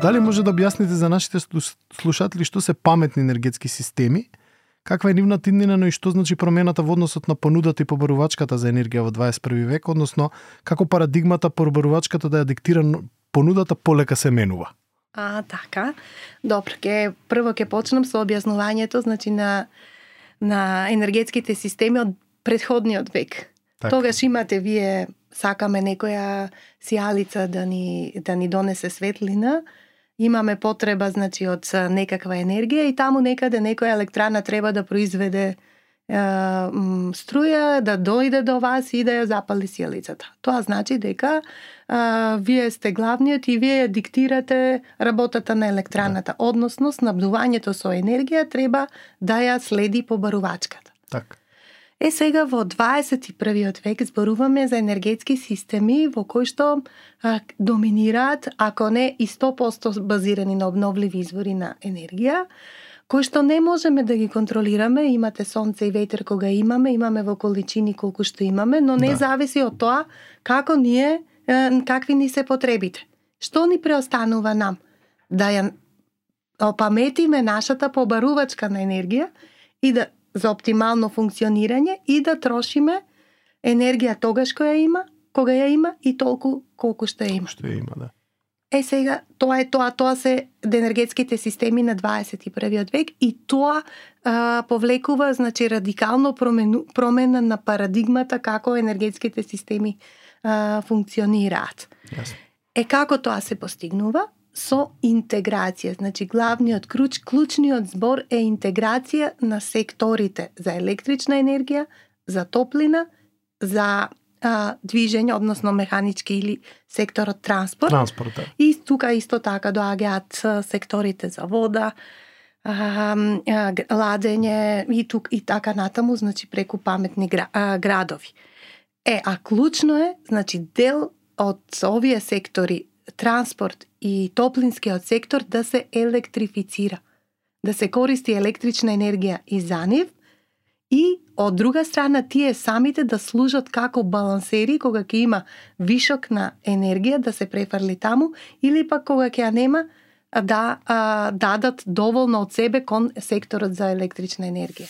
Дали може да објасните за нашите слушатели што се паметни енергетски системи, каква е нивната иднина, но и што значи промената во односот на понудата и побарувачката за енергија во 21 век, односно како парадигмата побарувачката да ја диктира понудата полека се менува? Така. Добро, прво ќе почнам со објаснувањето, значи на енергетските системи од претходниот век. Так. Тогаш имате вие, сакаме некоја сијалица да ни донесе светлина, имаме потреба, значи, од некаква енергија и таму некаде некоја електрана треба да произведе струја, да дојде до вас и да ја запали сијалицата. Тоа значи дека вие сте главниот и вие диктирате работата на електраната, односно снабдувањето со енергија треба да ја следи побарувачката. Так. Сега во 21 век зборуваме за енергетски системи во кои што доминираат, ако не и 100% базирани на обновливи извори на енергија, кои што не можеме да ги контролираме. Имате сонце и ветер кога имаме во количини колку што имаме, но не зависи од тоа како ние, какви ни се потребите. Што ни преостанува нам? Да ја опаметиме нашата побарувачка на енергија и да за оптимално функционирање и да трошиме енергија тогаш кога ја има и толку колку што ја има. Што ја има, да. Сега, тоа се енергетските системи на 21 век и тоа повлекува, значи, радикално промена на парадигмата како енергетските системи функционираат. Јасно. Како тоа се постигнува? Со интеграција. Значи, главниот клучниот збор е интеграција на секторите за електрична енергија, за топлина, за движење, односно механички или секторот транспорт. И тука исто така доаѓаат секторите за вода, ладење и така натаму, значи преку паметни градови. Клучно е, значи, дел од овие сектори, транспорт и топлинскиот сектор, да се електрифицира, да се користи електрична енергија и за нив, и од друга страна тие самите да служат како балансери кога ќе има вишок на енергија да се префрли таму, или пак кога ќе ја нема да дадат доволно од себе кон секторот за електрична енергија.